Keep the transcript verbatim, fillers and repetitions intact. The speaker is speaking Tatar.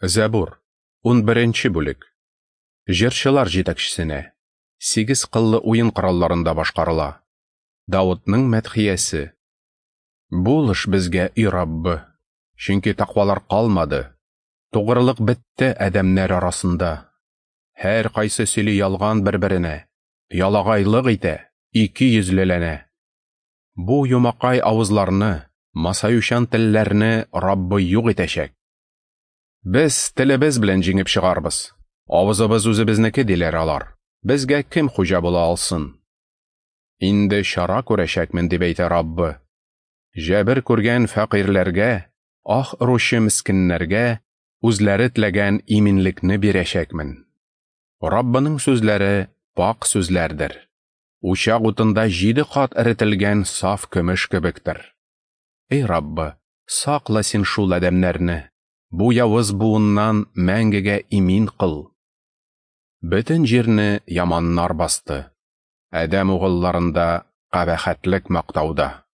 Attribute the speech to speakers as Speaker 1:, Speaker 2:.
Speaker 1: Зәбур, унберенче бүлек. Җырчылар җитәкчесенә. Сигез кыллы уен коралларында башкарыла. Давытның мәдхиясе. Булыш безгә, и Раббы, чөнки тәкъвалар калмады. Тугрылык бетте адәмнәр арасында. Һәр кайсы сөйли ялган бер-беренә, ялагайлык итә, ике йөзлеләнә. Бу юмакай авызларны, масаючан телләрне Раббы юк итәчәк. Без телебез белән җиңеп чыгарбыз. Авызыбыз үзебезнеке, диләр алар. Безгә кем хуҗа була алсын? Инде чара күрәчәкмен, дип әйтә Раббы. Җәбер күргән фәкыйрьләргә, ах оручы мескеннәргә үзләре теләгән иминлекне бирәчәкмен. Раббының сүзләре пакь сүзләрдер. Учак утында җиде кат эретелгән саф көмеш кебектер. Эй Раббы, сакла син шул адәмнәрне, бу явыз буыннан мәңгегә имин кыл. Бөтен җирне яманнар басты. Адәм угылларында кабахәтлек мактауда.